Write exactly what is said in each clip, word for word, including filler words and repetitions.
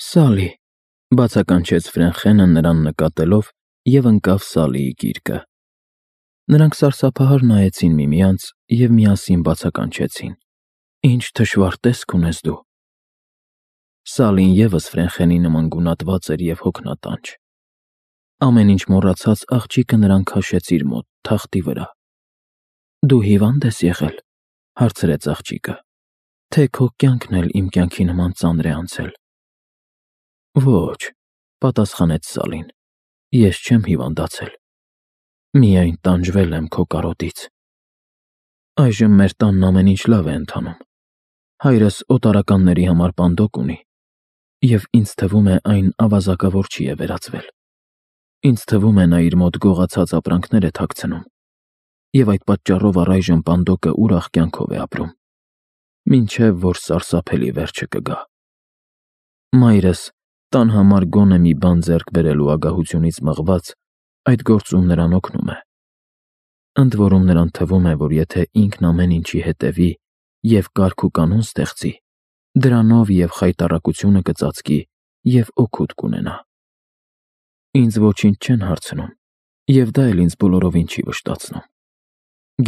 Սալի, բացականչեց Ֆրենխենը նրան նկատելով և ընկավ Սալիի գիրկը։ Նրանք սարսափահար նայեցին միմյանց և միասին բացականչեցին. Ինչ թշվառ տեսք ունես դու։ Սալին ևս Ֆրենխենի նման գունատված էր և հոգնատանջ։ Ամեն ինչ մոռացած աղջիկը նրան քաշեց իր մոտ, թախտի վրա։ Դու հիվա՞նդ ես եղել, հարցրեց աղջիկը, թե քո կյանքն էլ իմ կյանքի նման ծանր է անցել։ Ոչ, պատասխանեց Սալին, ես չեմ հիվանդացել, միայն տանջվել եմ քո կարոտից։ Այժմ մեր տանն ամեն ինչ լավ է ընթանում։ Հայրս օտարականների համար պանդոկ ունի, և ինձ թվում է այն ավազակավոր է վերածվել։ Ինձ թվում է նա իր մոտ գողացած ապրանքներ է թաքցնում, և այդ պատճառով առայժմ պանդոկը ուրախ կյանքով է ապրում, մինչև որ սարսափելի վերջը կգա։ Մայրս, տան համար գոնե մի բան ձեռք բերելու ագահությունից մղված, այդ գործում նրան օգնում է։ Ընդ որում նրան թվում է, որ եթե ինքն ամեն ինչի հետևի և կարգ ու կանոն ստեղծի, դրանով և խայտառակությունը կծածկի և օգուտ կունենա։ Ինձ ոչինչ չեն հարցնում, և դա էլ ինձ բոլորովին չի վշտացնում։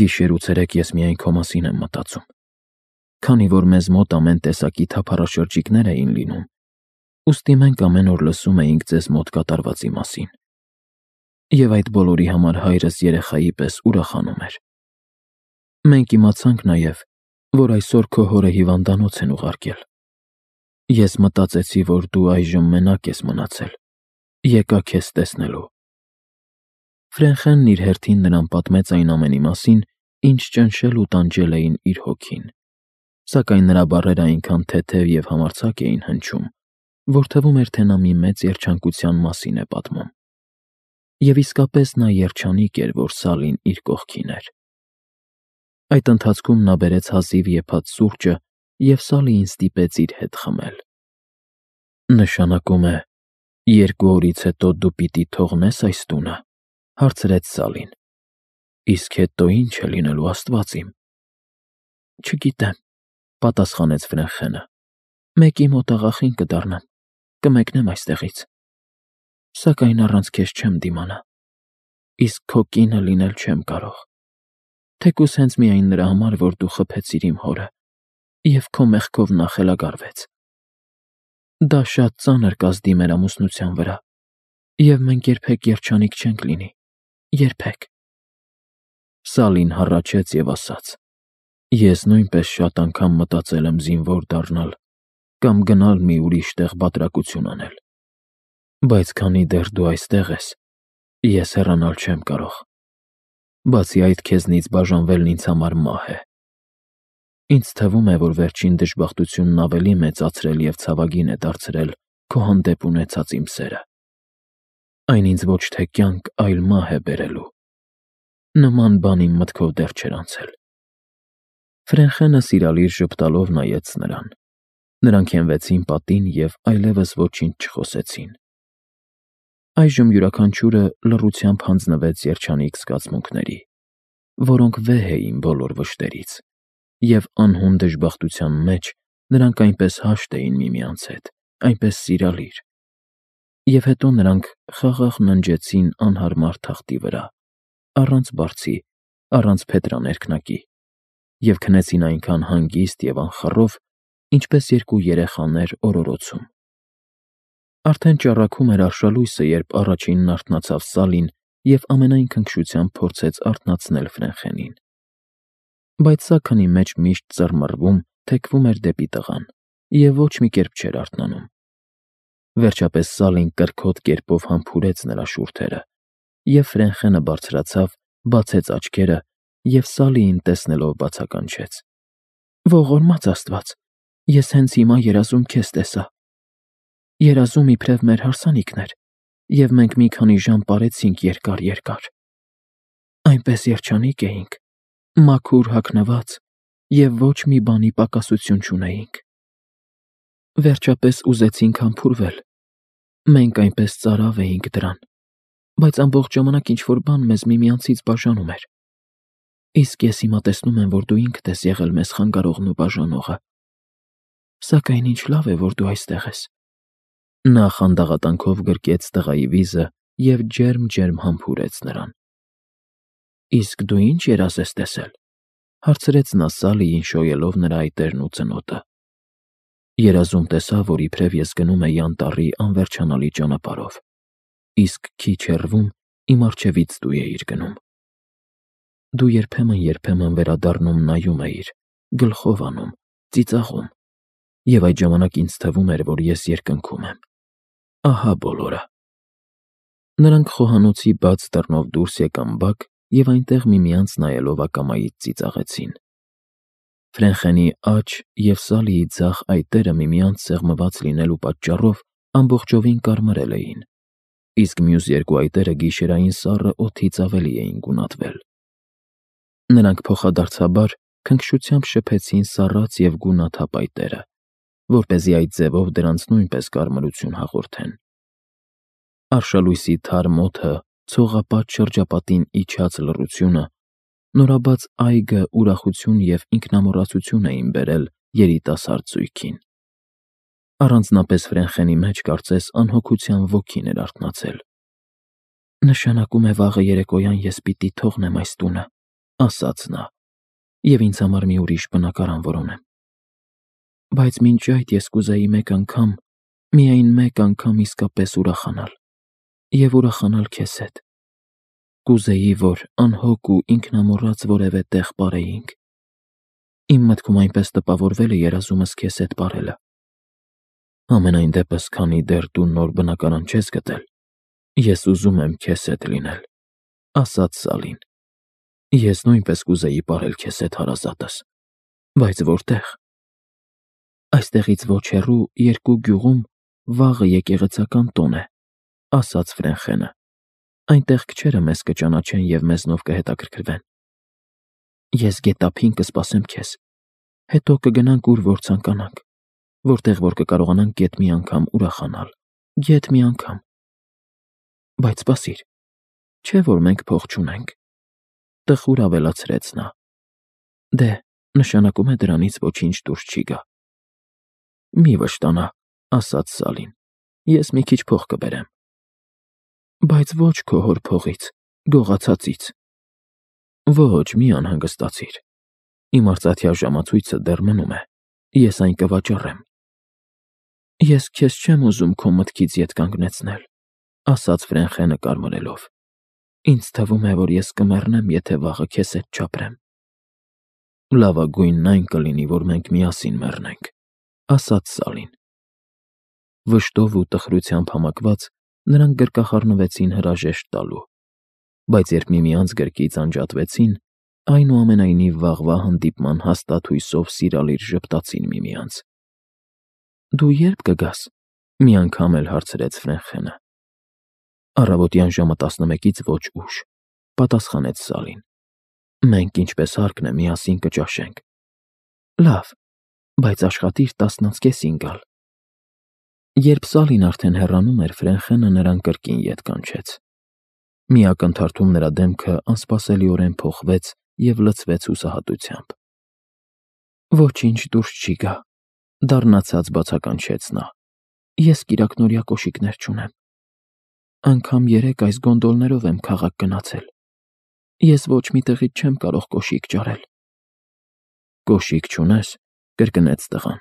Գիշեր ու ցերեկ ես միայն քո մասին եմ մտածում։ Քանի որ մեզ մոտ ամեն տեսակի թափառաշրջիկներ էին լինում, ուստի մենք ամեն օր լսում էինք ձեզ մոտ կատարվածի մասին։ Եվ այդ բոլորի համար հայրս երեխայի պես ուրախանում էր։ Մենք իմացանք նաև, որ այսօր քո հորը հիվանդանոց են ուղարկել։ Ես մտածեցի, որ դու այժմ մենակ ես մնացել, եկա քեզ տեսնելու։ Ֆրենխենն իր հերթին նրան պատմեց այն ամենի մասին, ինչ ճնշել ու տանջել էին իր հոգին, սակայն նրա բառերը այնքան թեթև և համարձակ էին հնչում, որ թվում էր, թե նա մի մեծ երջանկության մասին է պատմում։ Եվ իսկապես նա երջանիկ էր, որ Սալին իր կողքին էր։ Այդ ընթացքում նա բերեց հազիվ եփած սուրճը և Սալիին ստիպեց իր հետ խմել։ Նշանակում է, երկու օրից հետո դու պիտի թողնե՞ս այս տունը, հարցրեց Սալին։ Իսկ հետո ի՞նչ է լինելու, աստված իմ։ Չգիտեմ, պատասխանեց Ֆրենխենը։ Մեկ իմ մոտ աղախին կդառնամ, կմեկնեմ այստեղից։ Սակայն առանց քեզ չեմ դիմանա, իսկ քո կինը լինել չեմ կարող, թեկուզ հենց միայն նրա համար, որ դու խաբեցիր իմ հորը, և քո մեղքով նա խելագարվեց։ Դա շատ ծանր կազդի մեր ամուսնության վրա, և մենք երբեք երջանիկ չենք լինի, երբեք։ Սալին հառաչեց և ասաց. Ես նույնպես շատ անգամ մտածել եմ զինվոր դառնալ կամ գնալ մի ուրիշ տեղ բատրակություն անել, բայց քանի դեռ դու այստեղ ես, ես հեռանալ չեմ կարող։ Բացի այդ, քեզնից բաժանվելն ինձ համար մահ է։ Ինձ թվում է, որ վերջին դժբախտությունն ավելի մեծացրել և ցավագին է դարձրել քո հանդեպ ունեցած իմ սերը։ Այն ինձ ոչ թե կյանք, այլ մահ է բերելու։ Նման բան իմ մտքով դեռ չէր անցել։ Ֆրենխենը սիրալիր ժպտալով նայեց նրան։ Նրանք հենվեցին պատին և այլևս ոչինչ չխոսեցին։ Այժմ յուրաքանչյուրը լռությամբ հանձնվեց երջանիկ զգացմունքների, որոնք վեհ էին բոլոր վշտերից, և անհուն դժբախտության մեջ նրանք այնպես հաշտ էին միմյանց հետ, այնպես սիրալիր։ Եվ հետո նրանք խաղաղ ննջեցին անհարմար թախտի վրա, առանց բարձի, առանց փետրաներկնակի, և քնեցին այնքան հանգիստ և անխռով, ինչպես երկու երեխաներ օրորոցում։ Արդեն ճառագում էր արշալույսը, երբ առաջինն արթնացավ Սալին և ամենայն քնքշությամբ փորձեց արթնացնել Ֆրենխենին։ Բայց սա քնի մեջ միշտ ծռմռվում, թեքվում էր դեպի տղան և ոչ մի կերպ չէր արթնանում։ Վերջապես Սալին կրքոտ կերպով համբուրեց նրա շուրթերը, և Ֆրենխենը բարձրացավ, բացեց աչքերը և Սալիին տեսնելով բացականչեց. Ողորմած աստված, ես հենց հիմա երազում քեզ տեսա։ Երազում իբրև մեր հարսանիքն էր, և մենք մի քանի ժամ պարեցինք երկար֊երկար։ Այնպես երջանիկ էինք, մաքուր հագնված և ոչ մի բանի պակասություն չունեինք։ Վերջապես ուզեցինք համբուրվել։ Մենք այնպես ծարավ էինք դրան, բայց ամբողջ ժամանակ ինչ֊որ բան մեզ միմյանցից բաժանում էր։ Իսկ ես հիմա տեսնում եմ, որ դու ինքդ ես եղել մեզ խանգարողն ու բաժանողը։ Սակայն ինչ լավ է, որ դու այստեղ ես։ Նա խանդաղատանքով գրկեց տղայի վիզը և ջերմ-ջերմ համբուրեց նրան։ «Իսկ դու ի՞նչ երազ ես տեսել», հարցրեց նա Սալիին, շոյելով նրա այտերն ու ծնոտը։ «Երազում տեսա, որ իբրև ես գնում էի անտառի անվերջանալի ճանապարհով, իսկ քիչ հեռվում իմ առջևից դու էիր գնում։ Դու երբեմն-երբեմն վերադառնում նայում էիր, գլխով անում, ծիծաղում, և այդ ժամանակ ինձ թվում էր, որ ես երկնքում եմ։ Ահա բոլորը»։ Նրանք խոհանոցի բաց դռնով դուրս եկան բակ և այնտեղ միմյանց նայելով ակամայից ծիծաղեցին։ Ֆրենխենի աջ և Սալիի ձախ այտերը միմյանց սեղմված լինելու պատճառով ամբողջովին կարմրել էին, իսկ մյուս երկու այտերը գիշերային սառը օդից ավելի էին գունատվել։ Նրանք փոխադարձաբար քնքշությամբ շփեցին սառած և գունաթափ այտերը, որպեսզի այդ ձևով դրանց նույնպես կարմրություն հաղորդեն։ Արշալույսի թարմ օդը, ցողապատ շրջապատին իջած լռությունը, նորաբաց այգը ուրախություն և ինքնամոռացություն էին բերել երիտասարդ զույգին։ Առանձնապես Ֆրենխենի մեջ, կարծես, անհոգության ոգին էր արթնացել։ «Նշանակում է վաղը երեկոյան ես պիտի թողնեմ այս տունը», ասաց նա, «և ինձ համար մի ուրիշ բնակարան որոնեմ։ Բայց մինչ այդ ես կուզեի մեկ անգամ, միայն մեկ անգամ իսկապես ուրախանալ և ուրախանալ քեզ հետ։ Կուզեի, որ անհոգ ու ինքնամոռաց որևէ տեղ պարեինք։ Իմ մտքում այնպես տպավորվել է երազումս քեզ հետ պարելը։ Համենայն դեպս, քանի դեռ դու նոր բնակարան չես գտել, ես ուզում եմ քեզ հետ լինել», ասաց Սալին։ «Ես նույնպես կուզեի պարել քեզ հետ, հարազատս, բայց որտե՞ղ»։ «Այստեղից ոչ հեռու, երկու գյուղում, վաղը եկեղեցական տոն է», ասաց Ֆրենխենը։ «Այնտեղ քչերը մեզ կճանաչեն և մեզնով կհետաքրքրվեն։ Ես գետափին կսպասեմ քեզ, հետո կգնանք ուր որ ցանկանանք, որտեղ որ կկարողանանք գեթ մի անգամ ուրախանալ, գեթ մի անգամ։ Բայց սպասիր, չէ՞ որ մենք փող չունենք», տխուր ավելացրեց նա։ «Դե, նշանակում է դրանից ոչինչ դուրս չի գա»։ «Մի վշտանա», ասաց Սալին, «ես մի քիչ փող կբերեմ»։ «Բայց ոչ քո հոր փողից, գողացածից»։ «Ոչ, մի անհանգստացիր, իմ արծաթյա ժամացույցը դեռ մնում է, ես այն կվաճառեմ»։ «Ես քեզ չեմ ուզում քո մտքից ետ կանգնեցնել», ասաց Ֆրենխենը կարմրելով։ «Ինձ թվում է, որ ես կմեռնեմ, եթե վաղը քեզ հետ չապրեմ»։ «Լավագույնն այն կլինի, որ մենք միասին մեռնենք», ասաց Սալին։ Վշտով ու տխրությամբ համակված նրանք գրկախառնվեցին հրաժեշտ տալու, բայց երբ միմյանց գրկից անջատվեցին, այնուամենայնիվ վաղվա հանդիպման հաստատ հույսով սիրալիր ժպտացին միմյանց։ «Դու ե՞րբ կգաս», մի անգամ էլ հարցրեց Ֆրենխենը։ «Առավոտյան ժամը տասնմեկից ոչ ուշ», պատասխանեց Սալին։ «Մենք, ինչպես հարկն է, միասին կճաշենք»։ «Լավ, բայց աշխատիր տասնանցկեսին գալ»։ Երբ Սալին արդեն հեռանում էր, Ֆրենխենը նրան կրկին ետ կանչեց։ Մի ակնթարթում նրա դեմքը անսպասելիորեն փոխվեց և լցվեց հուսահատությամբ։ «Ոչինչ դուրս չի գա», դառնացած բացականչեց նա։ «Ես կիրակնօրյա կոշիկներ չունեմ։ Անգամ երեկ այս գոնդոլներով եմ քաղաք գնացել։ Ես ոչ մի տեղից չեմ կարող կոշիկ ճարել»։ «Կոշիկ չունես», կրկնեց տղան։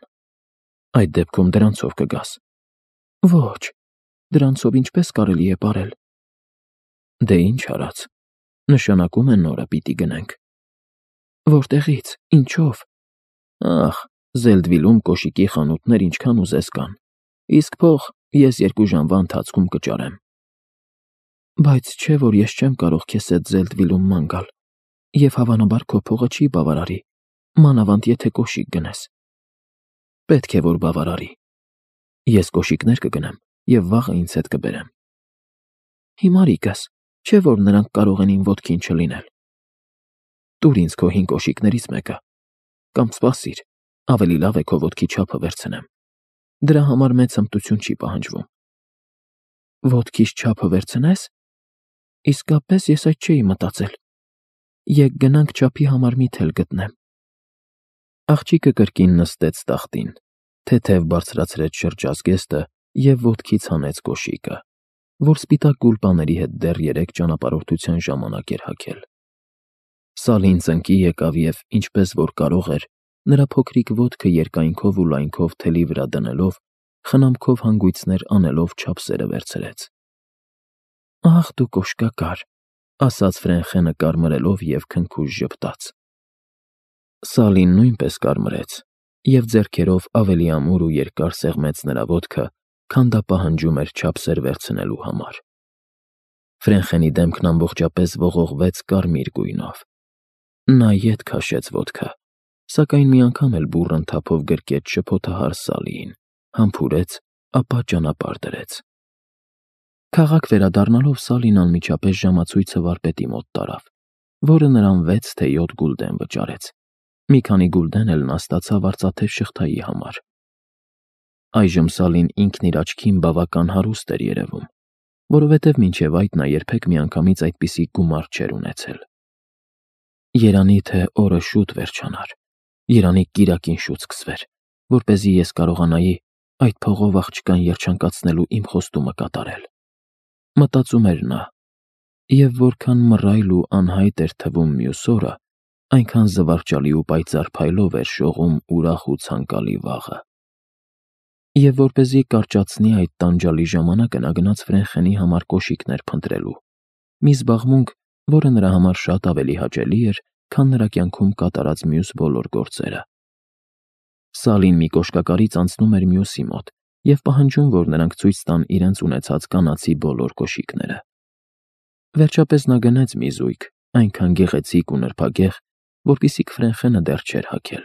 «Այդ դեպքում դրանցով կգաս»։ «Ոչ, դրանցով ինչպես կարելի է պարել»։ «Դե ինչ արած, նշանակում է նորը պիտի գնենք»։ «Որտեղից, ինչով»։ «Ախ, Զելդվիլում կոշիկի խանութներ ինչքան ուզես կան, իսկ փող ես երկու ժամվա ընթացքում կճարեմ»։ «Բայց չէ՞ որ ես չեմ կարող քեզ հետ Զելդվիլում ման գալ, և հավանաբար քո փողը չի բավարարի, մանավանդ եթե կոշիկ գնես»։ «Պետք է որ բավարարի։ Ես կոշիկներ կգնեմ և վաղը ինձ հետ կբերեմ»։ «Հիմարիկս, չէ՞ որ նրանք կարող են իմ ոտքին չլինել»։ «Տուր ինձ քո հին կոշիկներից մեկը, կամ սպասիր, ավելի լավ է քո ոտքի չափը վերցնեմ, դրա համար մեծ հմտություն չի պահանջվում»։ «Ոտքիս չափը վերցնես։ Իսկապես ես այդ չէի մտածել։ Եկ գնանք չափի համար մի թել գտնեմ»։ Աղջիկը կրկին նստեց տախտին, թեթև բարձրացրեց շրջազգեստը և ոտքից հանեց կոշիկը, որ սպիտակ գուլպաների հետ դեռ երեք ճանապարհորդության ժամանակ էր հագել։ Սալին ծնկի եկավ և, ինչպես որ կարող էր, նրա փոքրիկ ոտքը երկայնքով ու լայնքով թելի վրա դնելով, խնամքով հանգույցներ անելով չափսերը վերցրեց։ «Ախ դու կոշկակար», ասաց Ֆրենխենը կարմրելով և քնքուշ ժպտաց։ Սալին նույնպես կարմրեց և ձեռքերով ավելի ամուր ու երկար սեղմեց նրա ոտքը, քան դա պահանջում էր չափսեր վերցնելու համար։ Ֆրենխենի դեմքն ամբողջապես ողողվեց կարմիր գույնով։ Նա ետ քաշեց ոտքը, սակայն մի անգամ էլ բուռն թափով գրկեց շփոթահար Սալիին, համբուրեց, ապա ճանապարհ դրեց։ Քաղաք վերադառնալով Սալին անմիջապես ժամացույցը վարպետի մոտ տարավ, որը նրան վեց թե յոթ գուլդեն վճարեց։ Մի քանի գուլդեն էլ նա ստացավ արծաթե շղթայի համար։ Այժմ Սալին ինքն իր աչքին բավական հարուստ էր երևում, որովհետև մինչև այդ նա երբեք միանգամից այդպիսի գումար չէր ունեցել։ Երանի թե օրը շուտ վերջանար, երանի կիրակին շուտ սկսվեր, որպեսզի ես կարողանայի այդ փողով աղջկան երջանկացնելու իմ խոստումը կատարել։ Մտածում էր նա, և որքան մռայլ ու անհայտ էր թվում մյուս օրը, այնքան զվարճալի ու պայծառ փայլով էր շողում ուրախ ու ցանկալի վաղը։ Եվ որպեսզի կարճացնի այդ տանջալի ժամանակը, նա գնաց Ֆրենխենի համար կոշիկներ փնտրելու, մի զբաղմունք, որը նրա համար շատ ավելի հաճելի էր, քան նրա կյանքում կատարած մյուս բոլոր գործերը։ Սալին մի կոշկակարից անցնում էր մյուսի մոտ և պահանջում, որ նրանք ցույց տան իրենց ունեցած կանացի բոլոր կոշիկները։ Վերջապես նա գնեց մի զույգ, այնքան գեղեցիկ ու նրբագեղ, որպիսիք Ֆրենխենը դեռ չէր հագել։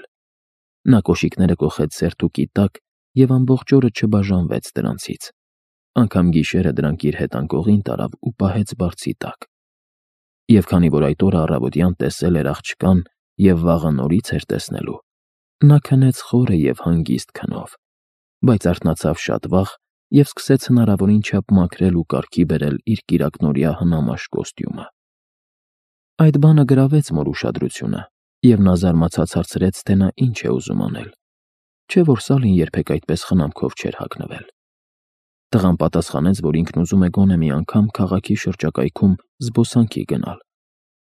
Նա կոշիկները կոխեց սերտուկի տակ և ամբողջ օրը չբաժանվեց դրանցից։ Անգամ գիշերը դրանք իր հետ անկողին տարավ ու պահեց բարձի տակ։ Եվ քանի որ այդ օրը առավոտյան տեսել էր աղջկան և վաղը նորից էր տեսնելու, նա քնեց խորը և հանգիստ քնով, բայց արթնացավ շատ վաղ և սկսեց հնարավորին չափ մաքրել ու կարգի բերել իր կիրակնօրյա հնամաշ կոստյումը։ Այդ բանը գրավեց մոր ուշադրությունը, և նա զարմացած հարցրեց, թե նա ինչ է ուզում անել, չէ՞ որ Սալին երբեք այդպես խնամքով չէր հագնվել։ Տղան պատասխանեց, որ ինքն ուզում է գոնե մի անգամ քաղաքի շրջակայքում զբոսանքի գնալ,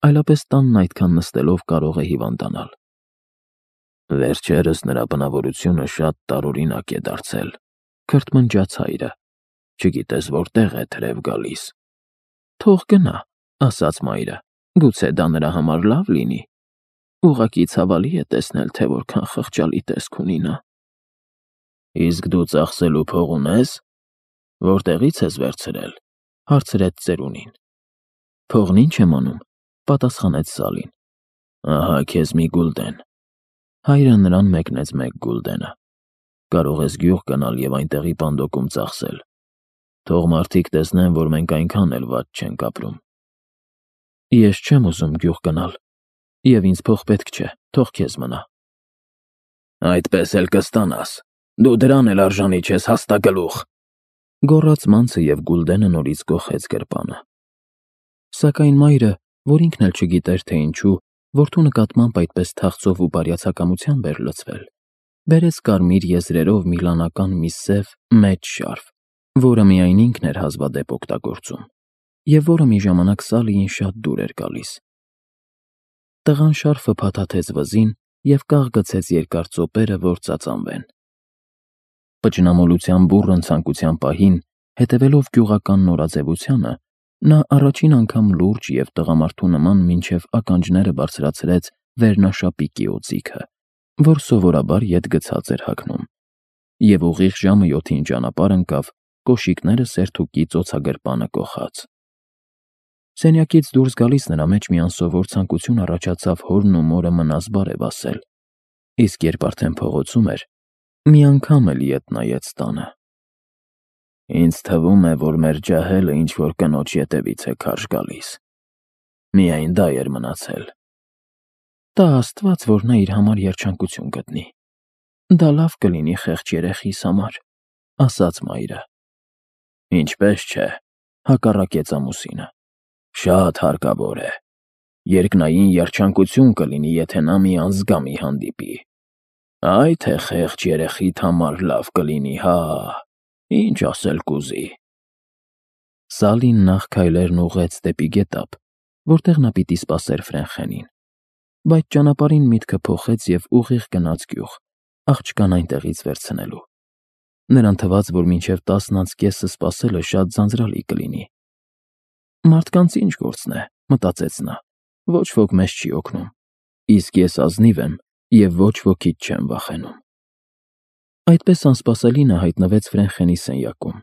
այլապես տանն այդքան նստելով կարող է հիվանդանալ։ Վերջերս նրա բնավորությունը շատ տարօրինակ է դարձել, քրթմնջաց հայրը, չգիտես որտեղ է թրև գալիս։ Թող գնա, ասաց մայրը, գուցե դա նրա համար լավ լինի։ Ուղղակի ցավալի է տեսնել, թե որքան խղճալի տեսք ունի նա։ Իսկ դու ծախսելու փող ունես։ Որտեղից ես վերցրել, հարցրեց ծերունին։ Փողն ինչ եմ անում, պատասխանեց Սալին։ Ահա քեզ մի գուլդեն։ Հայրը նրան մեկնեց մեկ գուլդենը։ Կարող ես գյուղ գնալ և այնտեղի պանդոկում ծախսել։ Թող մարդիկ տեսնեն, որ մենք այնքան էլ վատ չենք ապրում։ Ես չեմ ուզում գյուղ գնալ, և ինձ փող պետք չէ, թող քեզ մնա։ Այդպես էլ կստանաս, դու դրան էլ արժանի չես, հաստագլուխ, գոռաց մանցը և գուլդենը նորից գոխեց գրպանը։ Սակայն մայրը, որ ինքն էլ չգիտեր, թե ինչու, որդու նկատմամբ այդպես թախծով ու բարյացակամությամբ էր լցվել, բերեց կարմիր եզրերով միլանական մի սև, մեծ շարֆ, որը միայն ինքն էր հազվադեպ օգտագործում, և որը մի ժամանակ Սալիին շատ դուր էր գալիս։ Տղան շարֆը փաթաթեց վզին և կաղ գցեց երկար ծոպերը, որ ծածանվեն։ Պճնամոլության բուռն ցանկության պահին, հետևելով գյուղական նորաձևությանը, նա առաջին անգամ լուրջ և տղամարդու նման մինչև ականջները բարձրացրեց վերնաշապիկի օձիքը, որ սովորաբար ետ գցած էր հագնում, և ուղիղ ժամը յոթին ճանապարհ ընկավ, կոշիկները սերտուկի ծոցագրպանը կոխած։ Սենյակից դուրս գալիս նրա մեջ մի անսովոր ցանկություն առաջացավ հորն ու մորը մնաս բարև ասել, իսկ երբ արդեն փողոցում էր, մի անգամ էլ ետ նայեց տանը։ Ինձ թվում է, որ մեր ջահելը ինչ-որ կնոջ ետևից է քարշ գալիս։ Միայն դա էր մնացել։ Տա Աստված, որ նա իր համար երջանկություն գտնի։ Դա լավ կլինի խեղճ երեխիս համար, ասաց մայրը։ Ինչպես չէ, հակառակեց ամուսինը։ Շատ հարկավոր է։ Երկնային երջանկություն կլինի, եթե նա մի անզգամի հանդիպի։ Այ թե խեղճ երեխիդ համար լավ կլինի, հա։ Ինչ ասել կուզի։ Սալին նախ քայլերն ուղղեց դեպի գետափ, որտեղ նա պիտի սպասեր Ֆրենխենին, բայց ճանապարհին միտքը փոխեց և ուղիղ գնաց գյուղ, աղջկան այնտեղից վերցնելու։ Նրան թվաց, որ մինչև տասն անց կեսը սպասելը շատ ձանձրալի կլինի։ «Մարդկանց ինչ գործն է», մտածեց նա, «ոչ ոք մեզ չի օգնում, իսկ ես ազնիվ եմ և ոչ ոքից չեմ վախենում»։ Այդպես անսպասելի նա հայտնվեց Ֆրենխենի սենյակում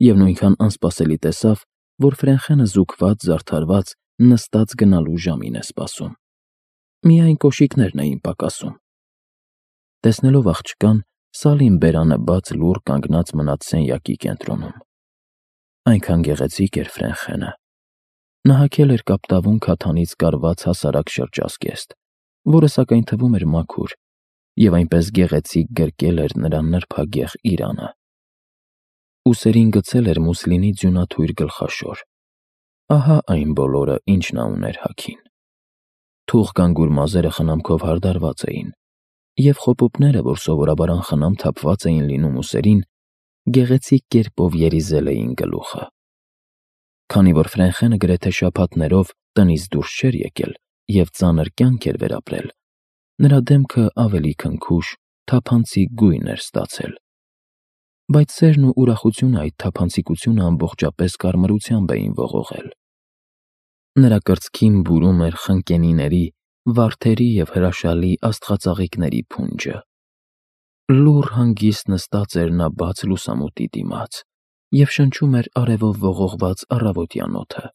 և նույնքան անսպասելի տեսավ, որ Ֆրենխենը զուգված, զարդարված, նստած գնալու ժամին է սպասում։ Միայն կոշիկներն էին պակասում։ Տեսնելով աղջկան, Սալին բերանը բաց լուռ կանգնած մնաց սենյակի կենտրոնում։ Այնքան գեղեցիկ էր Ֆրենխենը։ Նա հագել էր կապտավուն քաթանից կարված հասարակ շրջազգեստ, որը սակայն թվում էր մաքուր, և այնպես գեղեցիկ գրկել էր նրա նրբագեղ իրանը։ Ուսերին գցել էր մուսլինի ձյունաթույր գլխաշոր։ Ահա այն բոլորը, ինչ նա ուներ հագին։ Թուղկանգուր մազերը խնամքով հարդարված էին, և խոպոպները, որ սովորաբար անխնամ թափված էին լինում ուսերին, գեղեցիկ կերպով երիզել էին գլուխը։ Քանի որ Ֆրենխենը գրեթե շաբաթներով տնից դուրս չէր եկել և ծանր կյանք էր վերապրել, նրա դեմքը ավելի քնքուշ, թափանցիկ գույն էր ստացել։ Բայց սերն ու ուրախությունը այդ թափանցիկությունը ամբողջապես կարմրությամբ էին ողողել։ Նրա կրծքին բուրում էր խնկենիների, վարդերի և հրաշալի աստղածաղիկների փունջը։ Լուռ հանգիստ նստած էր նա բաց լուսամուտի դիմաց և շնչում էր արևով ողողված առավոտյան օդը։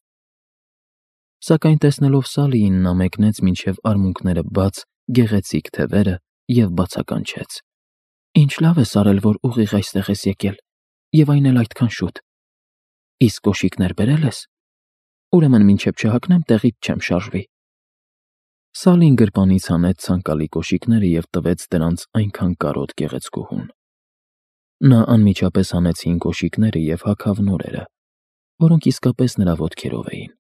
Սակայն տեսնելով Սալիին, նա մեկնեց մինչև արմունկները բաց գեղեցիկ թևերը և բացականչեց. «Ինչ լավ ես արել, որ ուղիղ այստեղ ես եկել, և այն էլ այդքան շուտ։ Իսկ կոշիկներ բերել ես։ Ուրեմն մինչև չհագնեմ, տեղից չեմ շարժվի»։ Սալին գրպանից հանեց ցանկալի կոշիկները և տվեց դրանց այնքան կարոտ գեղեցկուհուն։ Նա անմիջապես հանեց հին կոշիկները և հագավ նորերը, որոնք իսկապես նրա ոտքերով էին։